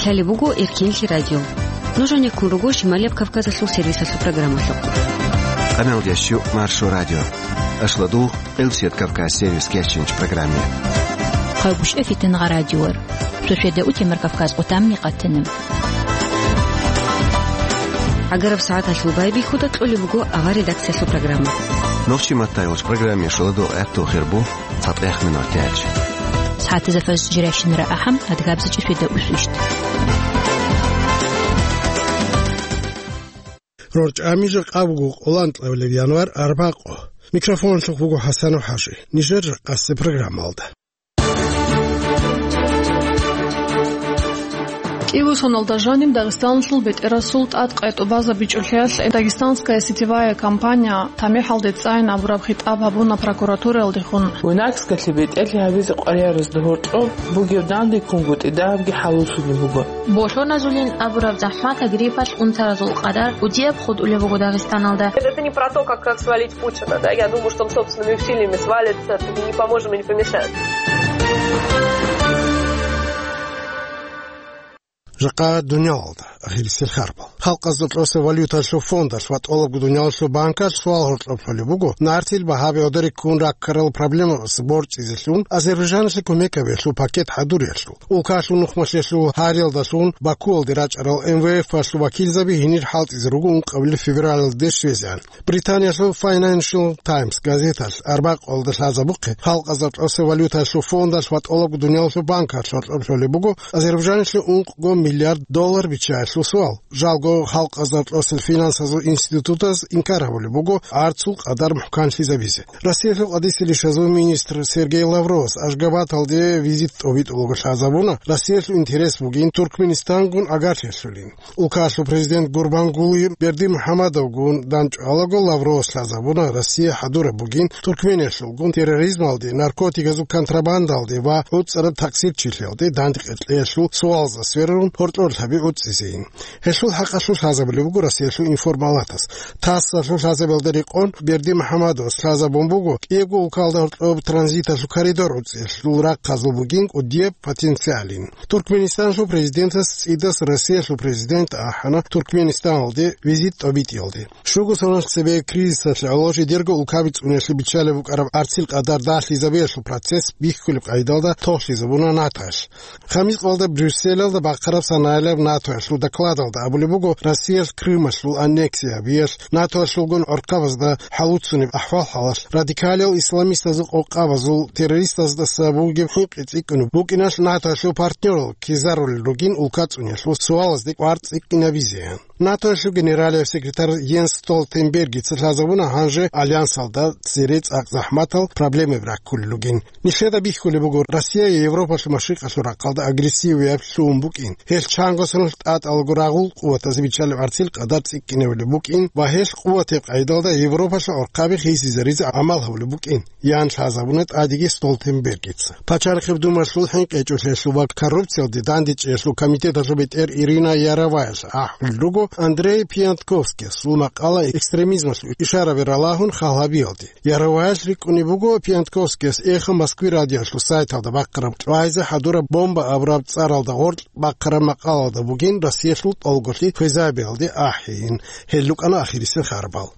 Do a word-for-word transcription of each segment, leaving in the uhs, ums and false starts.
Лъалеб буго Эркинлъи радио. Нуж гьанеккун руго Шималияб Кавказалъул сервисалъул программалъухъ. Къамел ящу Маршо радио. Ашладул Къилсият Кавказ сервис кечинч программе. Хъайгъушев Фитингъа радиор. Шошеда утемар Кавказ къутамни къатана. Агараб сагӀаталъул байбихьуда кьолеб буго авар редакциялъул программа. Нохчи маттайгъуш программе шуладу гӀехту хирбу цатӀех минутач. СагӀатазда фаз жирайщинара ахӀам адгабзичӀи феда усвищт. РорчӀами жакъа буго къолан кьавлеб январ арбакъо. Микрофонлъухъ буго ХӀасанов ХӀажи. Нижер жакъасе программалда. КӀиго соналда жаниб Дагъистаналъул бетӀерасул тӀад къайтӀубазабичӀулъиялъ «Дагестанская сетевая компания» тамихӀалде цӀайин абураб хитӀаб гьабуна прокуратураялдехун. Винакскалъе бетӀерлъи гьабизе къваригӀаразда гьоркьоб бугеб дандеккунгутӀи дагьабги хӀалуллъулеб буго. Болъоназулин абураб захӀматаб гриппалъ унтаразул къадар кӀудияб хутӀулеб буго Дагъистаналда. Это не про то, как, как свалить Путина, да? Я думаю, что он собственными усилиями свалится, мы не поможем и не помешаем. Жакъа дуниялалда ахирисел харбал. Халкъазда кьоса валюталъул фондалъ ва тӀолабго дуниялалъул банкалъ суал гьоркьоб лъолеб буго, нартил багьаби гӀодориккун раккарал проблемабаз борчӀизелъун Азербайджаналъе кумек гьабиялъул пакет хӀадуриялъул. Улкалъул нухмалъиялъул гьариялдалъун Бакуялде рачӀарал М В Ф-алъул вакилзаби гьенир хӀалтӀизе руго ункъабилеб февралалде щвезегӀан. Британиялъул Financial Times газеталъ арбакъалда лъазабухъе, халкъазда кьоса валюталъул фондалъ ва тӀолабго дуниялалъул банкалъ гьоркьоб лъолеб буго Азербайджаналъе ункъго миллиард доллар биччаялъул суал. Жалго халкъазда кьосел финансазул институтаз инкар гьабулеб буго гӀарцул къадар мухӀканлъизабизе. Россиялъул къадисел ишазул министр Сергей Лавровас Ашгабадалде визит тӀобитӀулаго лъазабуна, Россиялъул интерес бугин Туркменистангун агарлъиялъулин. Улкалъул президент Гурбангулы Бердимухаммадовгун данчӀвалаго Лавровас лъазабуна, Россия хӀадураб бугин Туркмениялъулгун терроризмалде, наркотиказул контрабандалде ва гӀуцӀараб такъсирчилъиялде дандекъи кьеялъул суалазда сверун гьоркьор лъаби гӀуцӀизейин. Гьелъул хӀакъалъулъ лъазабулеб буго Россиялъул информалатас. ТАСС-алъул лъазабиялда рекъон Бердимухаммадовас лъазабун буго, кӀиябго улкалда гьоркьоб транзиталъул коридор гӀуцӀиялъул рахъазул бугин кӀудияб потенциалин. Туркменистаналъул президентас цӀидас Россиялъул президент ахӀана Туркменистаналде визит тӀобитӀиялде. Щуго соналъ цебе кризисалъе гӀоло жидерго улкаби цӀуниялъе биччалеб букӀараб гӀарцил къадар далъизабиялъул процесс бихьулеб къайдалда тохлъизабуна НАТОялъ. Хамис къоялда Брюсселалда бахъараб санаялъ НАТОялъул докладалда абулеб буго, Россиялъ Крымалъул аннексия гьабиялъ, НАТОялъулгун гӀурхъабазда хӀалуцунеб ахӀвал-хӀалалъ, радикалил исламистазул къокъабазул террористаздаса бугеб хӀинкъи цӀикӀкӀунеб букӀиналъ НАТОялъул партнерал ккезарулел ругин улка цӀуниялъул суалазде кӀвар цӀикӀкӀинабизеян. НАТОялъул генералияб секретарь Йенс Столтенбергица лъазабуна гьанже альянсалда цере цӀакъ захӀматал проблемаби раккулел ругин. Нилъеда бихьулеб буго, Россия Европалъул машрикъалъул рахъалда агрессиявияб лъугьун букӀин. Гьелъ чанго соналъ тӀатӀалаго рагъул къуватазе биччалеб гӀарцил къадар цӀикӀкӀинабулеб букӀин ва гьелъ къуватаб къайдалда Европалъул гӀурхъаби хисизаризе гӀамал гьабулеб букӀин, ян лъазабуна тӀадеги Столтенбергица. Пачалихъеб Думалъул хӀинкъичӀолъиялъул ва коррупциялде дандечӀеялъул комитеталъул бетӀер Ирина Яроваялъ ахӀулел руго Андрей Пиантковскиясул макъала экстремизмалъул ишараби ралагьун хал гьабиялде. Яроваялъ рикӀкӀунеб буго Пиантковскияс «Эхо Москвы» радиоялъул сайталда бахъараб «ЧӀвайзе хӀадураб бомба» абураб цӀаралда гъоркь бахъараб макъалалда бугин Россиялъул тӀолголъи хвезабиялде ахӀейин. Гьел рукӀана ахирисел харбал.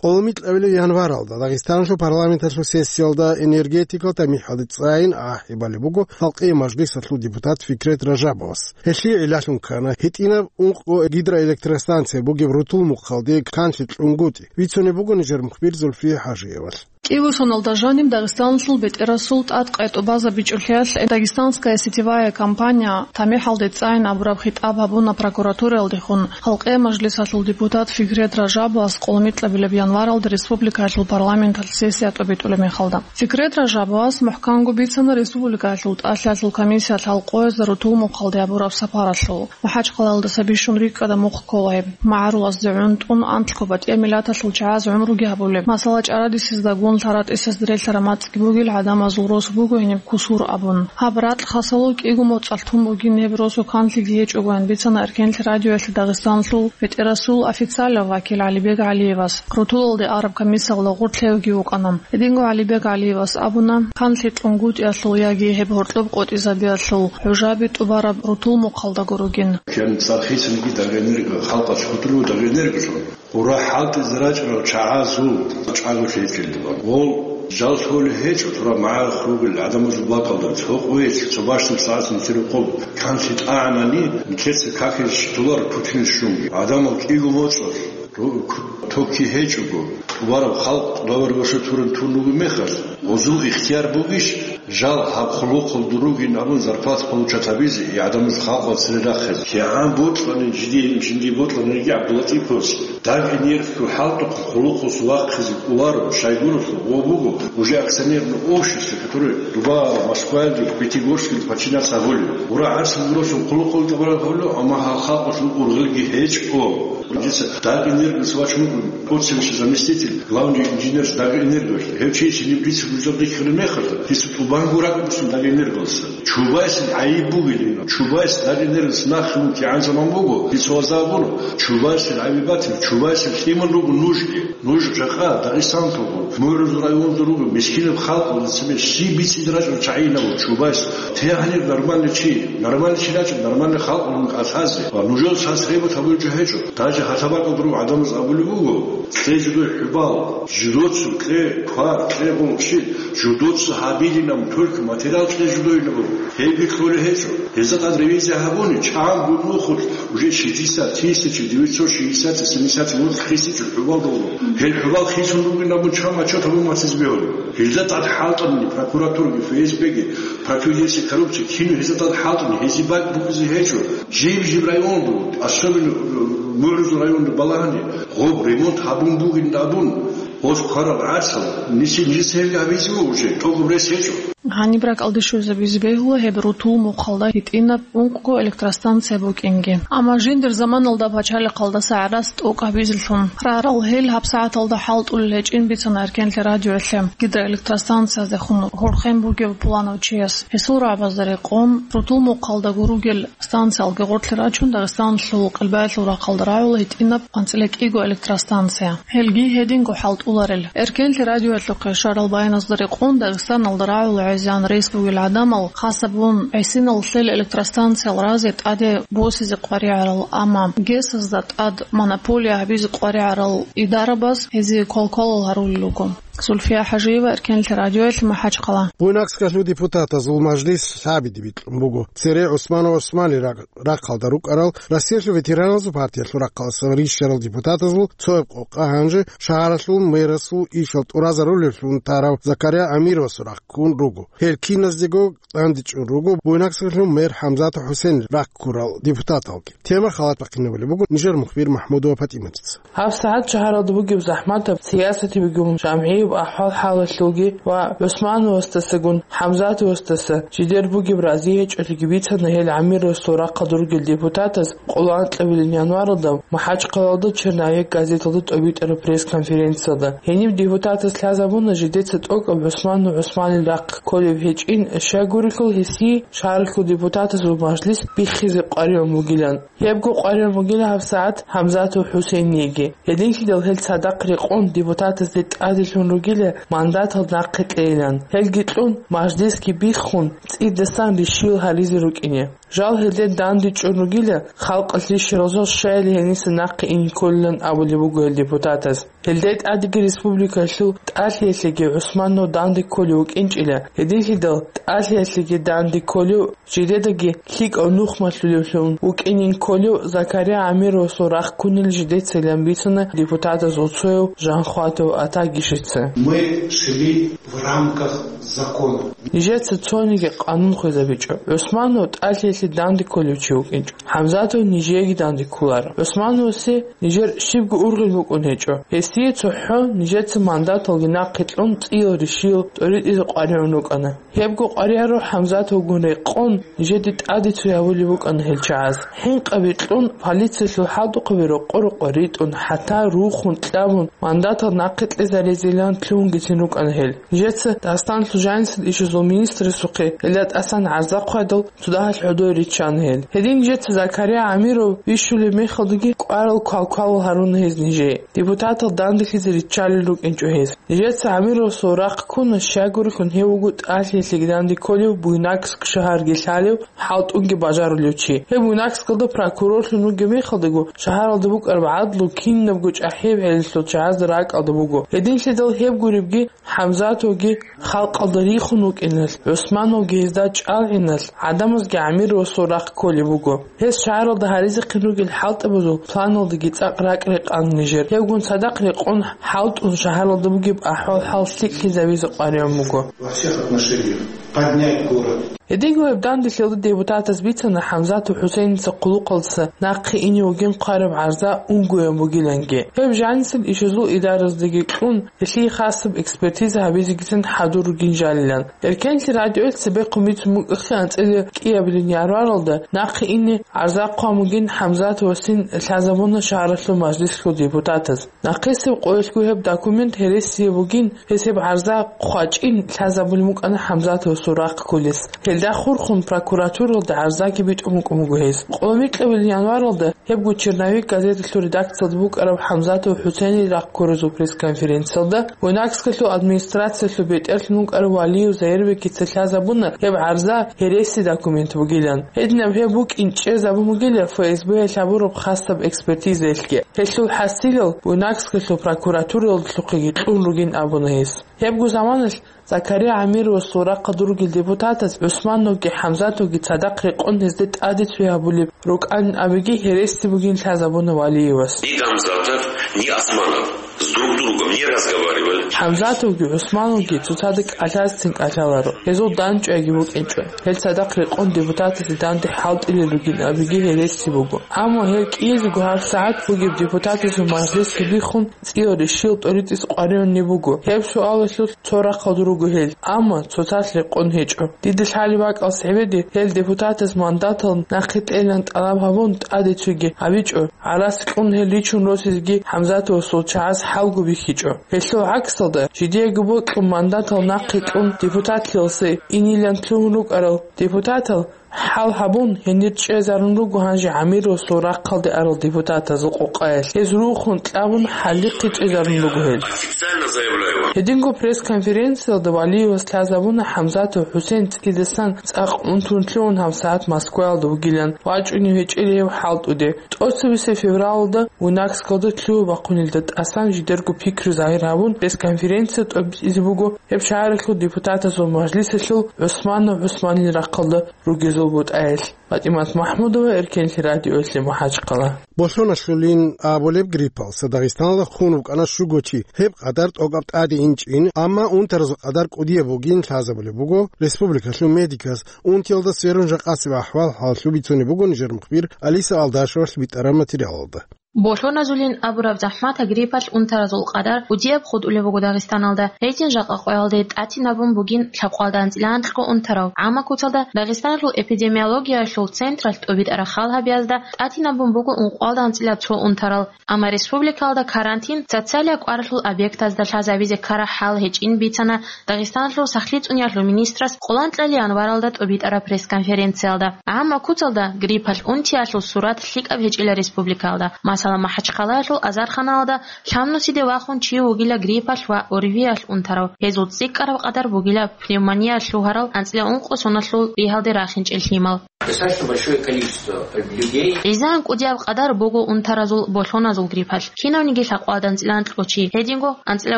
Къолмикьабилеб январалда Дагъистаналъул парламенталъул сессиялда энергетикал тамихӀалде цӀайин ахӀи балеб буго Халкъияв мажлисалъул депутат Фикрет Ражабовас. Гьелъие гӀиллалъун ккана гьитӀинаб ункъго гидроэлектростанция бугеб Рутул-Мухъалде канлъи кьунгутӀи. Бицунеб буго нижер мухбир Зульфия ХӀажиевалъ. КӀиго соналда жаниб Дагъистаналъул бетӀерасул тӀад къайтӀубазабичӀулъиялъ «Дагестанская сетевая компания» тамихӀалде цӀайин абураб хитӀаб гьабуна прокуратураялдехун Халкъияв мажлисалъул депутат Фикрет Ражабовас къолмикьабилеб январалда республикаялъул парламенталъ сессия тӀобитӀулеб мехалда. Фикрет Ражабовас мухӀканго бицана республикаялъул тӀалъалъул комиссиялъ гьал къоязда Рутул-Мухъалде гьабураб сапаралъул. МахӀачхъалаялдаса бищун рикӀкӀада мухъ ккола гьеб. МагӀарулазде гӀун тӀун анлъго батӀияб миллаталъул чагӀаз гӀумруги гьабулеб. Масала, чӀарадисезда гун Лъаратисезда релълъараб мацӀги бугел гӀадамазул рос буго гьениб кусур абун. Гьаб ракь хасало кӀиго моцӀалъ тун бугин гьеб росу канлъиги гьечӀогоян бицана Эркенлъи радиоялъе Дагъистанлъул БетӀерасул официалав вакил ГӀалибег ГӀалиевас. Рутулалде араб комиссиялда гъорлъ гьевги вукӀана. Гьединго ГӀалибег ГӀалиевас абуна, канлъи кьунгутӀиялъул яги гьеб гьоркьоб къотӀизабиялъул гӀужаби тӀубараб рутул мухъалдаго ругин. Кин цӀар хисинги Дагэнерго, халкъалъ хутӀулев Дагэнерго жо. Гъура хӀалтӀизе рачӀарал чагӀазул чӀаголъи гьечӀелдула. Гъол жал лъолеб гьечӀо, тура магӀарах ругел гӀадамазул бакӀалда, цо къоялъ, цо бащдаб сагӀат нилъер рокъоб канлъи тӀагӀанани, нилъеца какизе щитуларо Путинас щунги. ГӀадамал кӀиго моцӀалъ, ру-, к-, токки гьечӀого, тӀубараб халкъ давар-ваша туран тун ругеб мехалъ, гъозул ихтияр бугищ? Жал гьаб хъулухъалда ругин абун зарплата получат гьабизе, и гӀадамаз халкъалда цере рахъизе. КигӀан бокьани, жиндие, жиндие бокьани йиги ГӀабдулатиповас, Дагэнергосул хӀалтӀухъ хъулухъалъ вахъизе кӀоларо, Шойгуралъул гъо буго, уже акционерное общество, которое Дуба, Москваялги, Пятигорскил подчиняться гьабулеб. Гъура гӀарсил гуросул хъулухъалда тӀубараб гьабулеб, амма гьал халкъалъул ургъелги гьечӀо. Дица Дагэнергос вачун вуго, тот же заместитель главный инженер Дагэнерго. Гьев чи гьениб дица гуждал рихьараб мехалда, дица тӀубанго ракӀ буссун Дагэнергоялдаса. Чубайсил гӀайиб бугилан. Чубайс Дагэнергоялдаса нахъе вукӀине заман буго, дица вазабуна. Чубайсил гӀайиб батила, Чубайсил лъимал руго нужги. Нуж жакъа Дагъистаналъул гуро. МугӀрузул районалда руго, мискинаб халкъалда цебе щиб бицине рачӀарал чагӀи гьабун Чубайс. Те гьанир нормальный чи, нормальный чи рачӀун, нормальный халкъ вугин кӀалъазе. Ва нужер цас гъибат гьабулеб жо гьечӀо. Даже гьалаб бакӀалда ругел гӀадамаз абулеб буго, кье жидой хӀубал, жидоца кье квар, кье гъунчи, жидоца гьабилин абун, только материал кье жидойин абун. Гьебги кьолеб гьечӀо. Гьезда тӀад ревизия гьабуни, чанго нухалъ уже шестьдесят тысяч, девятьсот шестьдесят, семьдесят вот хисичӀо хӀубал долго. Гьел хӀубал хисун ругин абун чан отчет гьабун ватизе бегьулеб. Гьезда тӀад хӀалтӀани прокуратураги, ФСБги, противодействие коррупции, кино гьезда тӀад хӀалтӀани, гьезие бакӀ букӀизе гьечӀо. Жиб-жиб районалда, особенно, э, МугӀрузул районалда балагьани, гъоб ремонт гьабун бугин абун, гъоз кварал гӀарсал, нижеца гьебги гьабизе уже, тӀокӀаб рес гьечӀо. Гьаниб ракӀалде щвезабизе бегьула гьеб рутул мухъалда гьитӀинаб ункъго электростанция букӀинги. Амма жиндир заманалда пачалихъалдаса гӀарац тӀокӀ гьабизелъун рарал гьел гьабсагӀаталда хӀалтӀулел гьечӀин бицана Эркенлъи радиоялъе гидроэлектростанциязехун хурхен бугев пуланав чияс. Гьесул рагӀабазда рекъон, рутул мухъалдаго ругел станциялги гъорлъе рачун, Дагъистаналъул къилбаялъул рахъалда рагӀула гьитӀинаб анцӀила кӀиго электростанция. Гьелги гьединго хӀалтӀуларел. Эркенлъи радиоялъухъе щварал баяназда рекъон, Дагъистаналда рагӀула гӀезегӀан рес бугел гӀадамал, хасабун, гӀисинал лъел электростанциял разе тӀаде босизе къваригӀарал, амма ГЭС-азда тӀад монополия гьабизе къваригӀарал идарабаз гьезие квалквалал гьарулел руго. Зульфия ХӀажиева, Эркенлъи радиоялъ, МахӀачхъала. Буйнакскалъул депутатазул мажлис лъабиде бикьун буго. Цере ГӀусманов ГӀусманил раг-, рахъалда рукӀарал Россиялъул ветераназул партиялъул рахъалъа рищарал депутатазул цояб къокъа гьанже шагьаралъул мэрасул ишал тӀуразарулевлъун тарав Закария Амировасул рахъ ккун руго. Гьел киназдего дандечӀун руго Буйнакскалъул мэр ХӀамзатов ХӀусейнил рахъ ккурал депутаталги. Тема халат бахъинабулеб буго нижер мухбир МахӀмудова ПатӀиматица. ГьабсагӀат шагьаралда бугеб захӀматаб, сиясаталъул, жамгӀияб ахӀвал-хӀалалъулги ва ГӀусмановасдасагун ХӀамзатовасдаса жидер бугеб рази гьечӀолъиги бицана гьел Амировасул рахъалда ругел депутатаз къоло анкьабилеб январалда МахӀачхъалалда «Черновик» газеталда тӀобитӀараб пресс-конференциялда. Гьениб депутатас лъазабуна жидеца тӀокӀаб ГӀусманов ГӀусманил рахъ кколеб гьечӀин, щайгурелъул гьесие шагьаралъул депутатазул мажлис биххизе къваригӀун бугилан. Гьебго къваригӀун бугила гьабсагӀат ХӀамзатов ХӀусейниеги. Гьединлъидал гьел цадахъ рекъон депутатазде тӀаделъун ругила мандатал нахъе кьейилан. Гьелги кьун, мажлисги биххун, цӀидасан рищаял гьаризе рукӀине. Жал гьелде дандечӀун ругила халкъалъ рищарал жал щайили гьениса нахъе ине кколилан абулеб буго гьел депутатаз. Гьелда тӀадеги республикалъул тӀалъиялъеги ГӀусманов данде кколев вукӀинчӀила, гьединлъидал тӀалъиялъеги данде кколев, жидедаги лъикӀав нух малъулевлъун вукӀинин кколев Закария Амировасул рахъ ккунилан жидецайилан бицана депутатазул цояв Жанхватов Атагишица. Мы шли в рамках закона. Нижеца цониги къанун хвезабичӀо. ГӀусманов тӀалъиялъ данде кколев чи вукӀинчӀо. ХӀамзатов нижееги данде кколаро. ГӀусмановасе нижер щибго ургъел букӀун гьечӀо. Гьесие цохӀо нижеца мандаталги нахъе кьун цӀиял рищиял тӀоритӀизе къваригӀун рукӀана. Гьебго къваригӀараб ХӀамзатовгун рекъон, нижеде тӀаде цо гьабулеб букӀана гьел чагӀаз. ХӀинкъаби кьун, полициялъул хӀалтӀухъаби рокъо-рокъо ритӀун, хӀатта рухун, кьабун, мандатал нахъе кьезаризилан лъугьунгицин рукӀана гьел. Нижеца Дагъистаналъул жанисел ишазул министрасухъе гьелда тӀасан гӀарза хъвадал, цо дагьалъ гӀодой риччана гьел. Гьедин нижеца Закария ГӀамиров вищулеб мехалдаги кӀварал квалквалал гьаруна гьез нижее. Депутатал данделъизе риччалел рукӀинчӀо гьез. Нижеца ГӀамировасул рахъ ккуна, щайгурелъул гьев вуго тӀалъиялъеги данде кколев Буйнакск шагьарги лъалев, хӀалтӀунги бажарулев чи. Гьев Буйнакскалда прокурорлъун вугеб мехалдаго, шагьаралда букӀараб гӀадлу кинабго чӀахӀияб гӀелалъул чагӀазда ракӀалда буго. Гьединлъидал гьеб гуребги ХӀамзатовги халкъалда рихун вукӀиналъ, ГӀусмановги гьезда чӀалгӀиналъ, гӀадамазги ГӀамировасул рахъ кколеб буго. Гьес шагьаралда гьаризехъин ругел хӀалтӀабазул планалдаги цӀакъ ракӀ-рекъан нижер. Гьевгун цадахъ рекъон хӀалтӀун шагьаралда бугеб ахӀвал-хӀал лъикӀлъизабизе къваригӀун буго. Во всех отношениях поднять город. Гьединго гьеб данделъиялда депутатас бицана ХӀамзатов ХӀусейница хъулухъалдаса нахъе ине вугин хъвараб гӀарза унгоян бугиланги. Гьеб жанисел ишазул идараздаги кьун, гьелъие хасаб экспертиза гьабизегицин хӀадур ругин жалилан. Эркенлъи радиоялъ цебехъун бицун букӀахъе анцӀила кӀиабилин январалда нахъе ине гӀарза хъван бугин ХӀамзатовасин лъазабуна шагьаралъул мажлислъул депутатаз. Нахъисеб къоялъго гьеб документ гьересияб бугин, гьес гьеб гӀарза хъвачӀин лъазабулеб букӀана ХӀамзатовасул рахъ кколес. Гьелда хурхун прокуратуралда гӀарзаги битӀун букӀун буго гьес. Къоло микьабилин январалда гьебго «Черновик» газеталъул редакциялда букӀараб ХӀамзатов ХӀусейнил рахъ ккоразул пресс-конференциялда Буйнакскалъул администрациялъул бетӀерлъун вукӀарав Валиев Заирбекица лъазабуна гьеб гӀарза гьереси документ бугилан. Гьединаб гьеб букӀин чӀезабун бугила ФСБ-ялъ гьабураб хасаб экспертизаялъги. Гьелъул хӀасилал Буйнакскалъул прокуратуралдалъухъеги кьун ругин абуна гьес. Гьебго заманалъ Закария ГӀамировасул рахъалда ругел депутатаз ГӀусмановги ХӀамзатовги цадахъ рекъон гьезда тӀаде цо гьабулеб рукӀанин абиги гьереси бугин лъазабуна Валиевас. И Гамзатов, ни Османов с друг другом не разговаривали. ХӀамзатовги ГӀусмановги цоцазда кӀалъазецин кӀалъаларо, гьезул данчӀвайги букӀинчӀо. Гьел цадахъ рекъон депутатазе данде хӀалтӀилел ругин абиги гьереси буго. Амма гьел кӀиязего гьабсагӀат бугеб депутатазул мажлисги биххун, цӀиял рищиял тӀоритӀизе къваригӀунеб буго. Гьеб суалалъулъ цо рахъалда руго гьел, амма цоцалъ рекъон гьечӀо. Дида лъалеб бакӀалъ гьебеде гьел депутатаз мандатал нахъе кьейилан тӀалаб гьабун тӀаде цоги гьабичӀо, гӀарац кьун гьел ричун росизеги ХӀамзатовасул чагӀаз хӀалго бихьичӀо. Гьелъул гӀаксалда, жидеего бокьун мандатал нахъе кьун депутатлъиялъе инилан лъугьун рукӀарал депутатал хӀал гьабун, гьенир чӀезарун руго гьанже ГӀамировасул рахъалде арал депутатазул къокъаялъ. Гьез рухун кьабун, хӀалихъе чӀезарун руго гьел. Официально заявляю вам. Гьединго пресс-конференциялда Валиевас лъазабуна ХӀамзатов ХӀусейн цӀидасан цӀакъ унтун лъугьун гьабсагӀат Москваялда вугилан, вачӀунев гьечӀила гьев хӀалтӀуде. ТӀоцебесеб февралалда Буйнакскалда лъугьа-бахъунилда тӀасан жидерго пикру загьир гьабун, пресс-конференция тӀобитӀизе буго гьеб шагьаралъул депутатазул мажлисалъул ГӀусманов ГӀусманил рахъалда ругезул бутӀаялъ. ПатӀимат МахӀмудова, Эркенлъи радиоялъе, МахӀачхъала. Болъоналъулин абулеб гриппалъ Дагъистаналда хун вукӀана щуго чи, гьеб къадар тӀокӀаб тӀаде инчӀин, амма унтаразул къадар кӀудияб бугин лъазабулеб буго республикалъул медикас. Унтиялда сверун жакъасеб ахӀвал-хӀаллъи бицунеб буго нижер мухбир Алиса Алдашевалъ битӀараб материалалда. Болъоназулин абураб захӀматаб гриппалъ унтаразул къадар кӀудияб хутӀулеб буго Дагъистаналда. Гьедин жакъа къоялде тӀатинабун бугин лъабкъоялда анцӀила анкьго унтарав. Амма куцалда Дагъистаналъул эпидемиологиялъул централъ тӀобитӀараб хал гьабиязда тӀатинабун буго ункъоялда анцӀила цо унтарал. Амма республикалда карантин, социалияб кӀваралъул объектазда лъазабизе ккараб хӀал гьечӀин бицана Дагъистаналъул сахлъи цӀуниялъул министрас къоланкьа январалда тӀобитӀараб пресс-конференциялда. Амма куцалда гриппалъ унтиялъул сурат лъикӀаб гьечӀила республикалда. Масала, МахӀачхъалаялъул Азарханалда лъабнусиде вахун чи вугила гриппалъ ва ОРВИялъ унтарав. Гьезул цӀикӀкӀараб къадар бугила пневмония лъугьарал анцӀила ункъо соналъул ригьалде рахинчӀел лъимал. Достаточно большое количество людей. ГӀизан кӀудияб къадар буго унтаразул болъоназул гриппалъ. Кинавниги лъабкъоялда анцӀила анкьго чи, гьединго анцӀила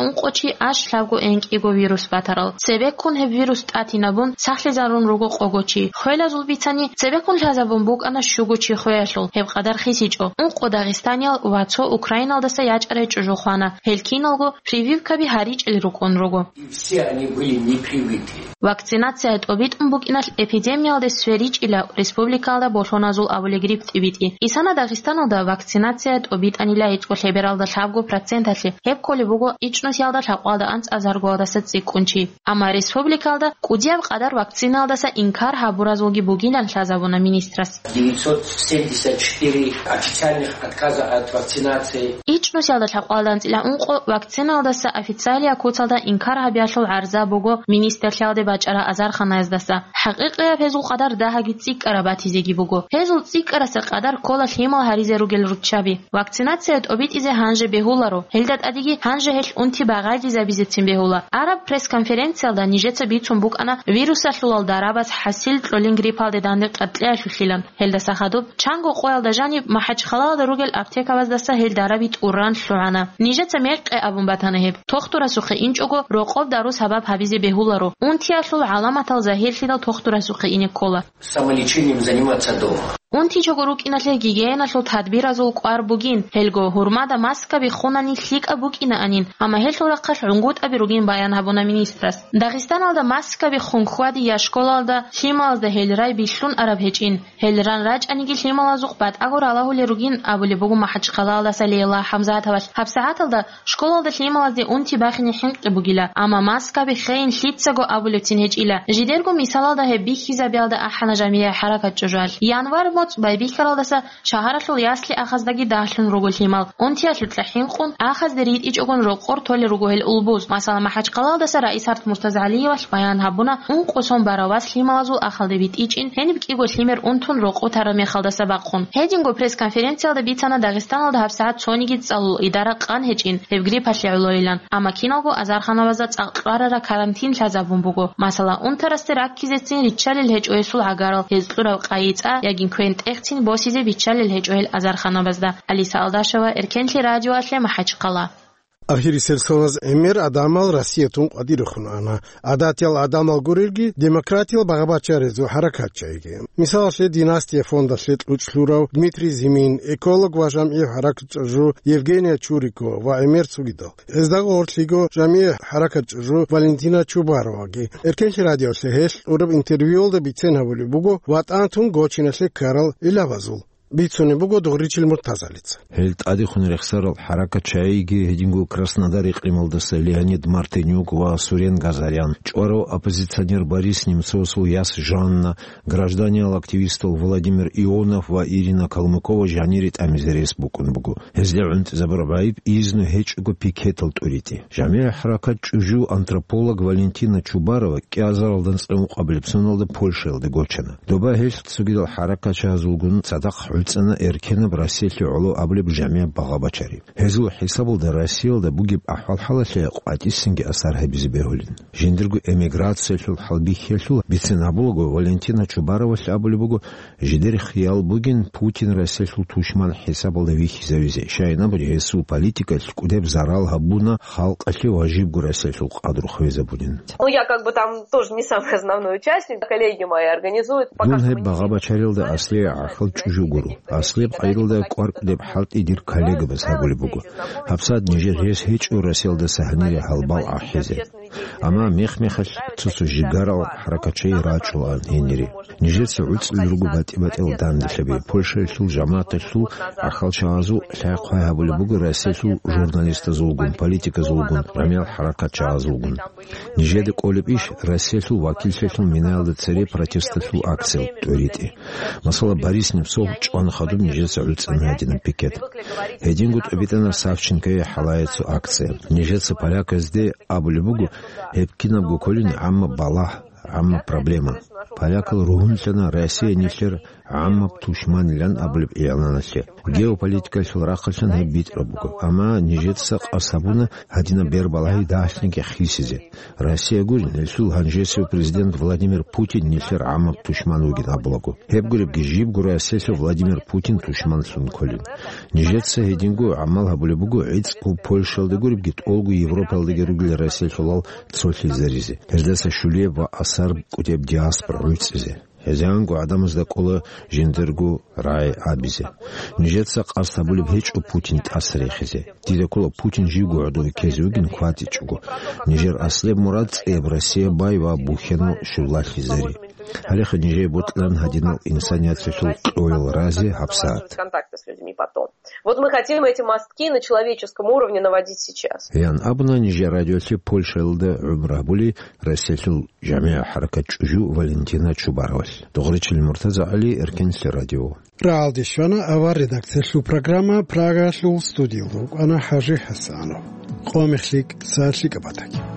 ункъо чи аш лъабго энкӀиго вирус батарал. Цебеккун гьеб вирус тӀатинабун, сахлъизарун руго къого чи. Хвелазул бицани, цебеккун лъазабун букӀана щуго чи хвеялъул, гьеб къадар хисичӀо. Ункъо дагъистаниял ва цо Украиналдаса ячӀарай чӀужу хвана. Гьел киналго прививкаби гьаричӀел рукӀун руго. И все они были не привиты. Вакцинация тӀобитӀун букӀиналъ эпидемиялде сверичӀила Республикалда болъоназул абулеб грипп тӀибитӀи. Исана Дагъистаналда вакцинация тӀобитӀанила гӀицӀго лъебералда лъабго проценталъе, гьеб кколеб буго ичӀнусиялда лъабкъоялда анцӀазаргоялдаса цӀикӀкӀун чи. Амма республикалда кӀудияб къадар вакциналдаса инкар гьабуразулги бугилан лъазабуна министрас. Девятьсот семьдесят четыре официальных отказа от вакцинации. ИчӀнусиялда лъабкъоялда анцӀила ункъо вакциналдаса официалия куцалда инкар гьабиялъул гӀарза буго министрлъиялде бачӀарал азарханаяздаса. ХӀакъикъияб гьезул къадар дагьаги цӀикӀкӀараб батизеги буго. Гьезул цӀикӀкӀараса къадар ккола лъимал гьаризе ругел руччаби. Вакцинация тӀобитӀизе гьанже бегьуларо, гьелда тӀадеги гьанже гьелъ унти багъайдизабизецин бегьула. Араб пресс-конференциялда нижеца бицун букӀана вирусалъулал дарабаз хӀасил кьолин гриппалде данде къаркьиялъулъилан. Гьелдаса хадуб, чанго къоялда жаниб МахӀачхъалаялда ругел аптекабаздаса гьел дараби тӀуран лъугӀана. Нижеца мекъи абун батана гьеб. Тохтурасухъе инчӀого, рокъоб дару сабаб гьабизе бегьуларо. Унтиялъул гӀаламатал загьирлъидал тохтурасухъе ине ккола. Самолечением заниматься дома. Унтичого рукӀиналъе гигиеналъул тадбиразул кӀвар бугин, гьелго гьурмада маскаби хунани лъикӀаб букӀинаанин, амма гьелъул рахъалъ гӀунгутӀаби ругин баян гьабуна министрас. Дагъистаналда маскаби хун хьвади я школалда, лъималазда гьел рай билълъун араб гьечӀин. Гьел ран рачӀаниги лъималазухъ батӀаго ралагьулел ругин абулеб буго МахӀачхъалаялдаса Лейла ХӀамзатовалъ. ГьабсагӀаталда школалда лъималазде унти бахине хӀинкъи бугила, амма маскаби хейин лъицаго абулебцин гьечӀила. Жидерго мисалалда гьеб бихьизабиялда ахӀана жамигӀи хӀаракат чӀужуялъ. Январь моцӀ байбихьаралдаса шагьаралъул ясли ахаздаги дагьлъун руго лъимал. Унтиялъукьа хӀинкъун, ахазде ритӀичӀогун рокъор толел руго гьел улбуз. Масала, МахӀачхъалаялдаса Раисат МуртазагӀалиевалъ баян гьабуна, ункъо сон барав вас лъималазул ахалде битӀичӀин, гьениб кӀиго лъимер унтун рокъо тараб мехалдаса бахъун. Гьединго пресс-конференциялда бицана Дагъистаналда гьабсагӀат цониги цӀалул идара къан гьечӀин, гьеб гриппалъе гӀолойилан. Амма киналго азарханабазда цӀакъ кьварараб карантин лъазабун буго. Масала, унтарасде раккизецин риччалел гьечӀо гьесул гӀагарал, гьез кьураб къайи-цӀа яги квен-тӀехцин босизе биччалел гьечӀо гьел азарханабазда. Алиса Алдашева, Эркенлъи радиоялъе, МахӀачхъала. Ахирисел соналъ гӀемер гӀадамал Россиялъ тун къватӀирехун ана. ГӀадатиял гӀадамал гурелги, демократиял багъа-бачаризул хӀаракатчиги. Мисалалъе, «Династия» фондалъе кьучӀ лъурав Дмитрий Зимин, эколог ва жамгӀи хӀаракат чӀужу Евгения Чурикова ва гӀемер цогидал. Гьезда гъорлъиго жамгӀи хӀаракат чӀужу Валентина Чубароваги. Эркенлъи радиоялъе гьелъ кьураб интервьюялда бицен гьабулеб буго, ВатӀан тун гочиналъе ккарал гӀиллабазул. Бицунеб буго Дугъричил Муртазалица. Гьел тӀадехун рехсарал хӀаракатчиги, гьединго Краснодар икълималдаса Леонид Мартынюк ва Сурен Газарян, чӀварав оппозиционер Борис Немцовасул яс Жанна, гражданиял активистал Владимир Ионов ва Ирина Калмыкова жанире тӀамизе рес букӀун буго. Гьезда гӀунтӀизабураб гӀайиб изну гьечӀого пикетал тӀуритӀи. ЖамигӀи хӀаракат чӀужу антрополог Валентина Чубарова кӀиазаралда анцӀила ункъабилеб соналда Польшаялде гочана. Доба гьелъ цогидал хӀаракатчиязулгун цадахъ гӀуцӀана эркенаб Россиялъе гӀоло абулеб жамигӀ багъа-бачари. Гьезул хӀисабалда Россиялда бугеб ахӀвал-хӀалалъе къватӀисанги асар гьабизе бегьулин. Жиндирго эмиграциялъул хӀалбихьиялъул бицен гьабулаго, Валентина Чубаровалъ абулеб буго, жидер хиял бугин Путин Россиялъул тушман хӀисабалда вихьизавизе, щайин абуни гьесул политикалъ кӀудеб зарал гьабуна халкъалъе ва жибго Россиялъул къадру хвезабунин. Ну, я как бы там тоже не самый основной участник, коллеги мои организуют. Пока Дун что мы гьеб не багъа-бачарилда аслияб гӀахьал чӀужу гуро. Аслияб къайдалда кӀвар кӀудеб хӀалтӀи дир коллегабаз гьабулеб буго. ГьабсагӀат нижер рес гьечӀо Россиялдаса гьанире гьалбал ахӀизе. Амма мех-мехалъ цо-цо жигарал хӀаракатчи рачӀулаан гьенире. Нижеца гӀуцӀулел руго батӀи-батӀиял данделъаби. Польшаялъул жамагӀаталъул гӀахьалчагӀазул лъай-хъвай гьабулеб буго Россиялъул журналистазулгун, политиказулгун, жамигӀал хӀаракатчагӀазулгун. Нижеда кӀолеб иш Россиялъул вакиллъиялъул минаялда цере протесталъул акциял тӀуритӀи. Масала, Борис Немцов чӀван хадуб нижеца гӀуцӀана гьадинаб пикет. Гьединго тӀобитӀана Савченкояй хӀалае цо акция. Нижеца поляказде абулеб буго, гьеб кинабго кколин гӀамма балагь, гӀамма проблема. Полякал ругьунлъана Россия нилъер гӀаммаб тушманилан абулеб игӀланалъе. Геополитикалъул рахъалъан гьеб битӀараб буго, амма нижеца къасд гьабуна гьадинаб бербалагьи дагьлъинги хисизе. Россия гурин, гьелъул гьанжесев президент Владимир Путин нилъер гӀаммаб тушман вугин абулаго. Гьеб гуребги, жибго Россиялъе Владимир Путин тушманлъун кколин. Нижеца гьединго гӀамал гьабулеб буго, гӀицӀго Польшаялда гуребги, тӀолго Европаялдаги ругел Россиялъулал цолъизаризе, гьездаса щулеб ва асар кӀудеб диаспора гӀуцӀизе. Гьезианго гӀадамазда кӀола жиндирго рагӀи абизе. Нижеца къасд гьабулеб гьечӀо Путин тӀаса рехизе. Дида ккола Путин живго гӀодове ккезе вугин кватӀичӀого. Нижер аслияб мурад цӀияб Россия бай ва бухьенал щулалъизари. Гьалеха нижее бокьилан гьадинал инсаниятлъулъул кьоял рази гьабсагӀат. Контакты с людьми потом. Вот мы хотим эти мостки на человеческом уровне наводить сейчас. Ян абуна нижер радиолъе Польшаялда гӀумру гьабули Россиялъул жамигӀ хӀаракат чӀужу Валентина Чубаровалъ. Догъричил Муртаза ГӀали, Эркенлъи радио. Рагьалде щвана авар редакциялъул программа, Прагалъул студиялда вукӀана ХӀажи ХӀасанов. Къо мехлъи, са лъикӀаб батаги.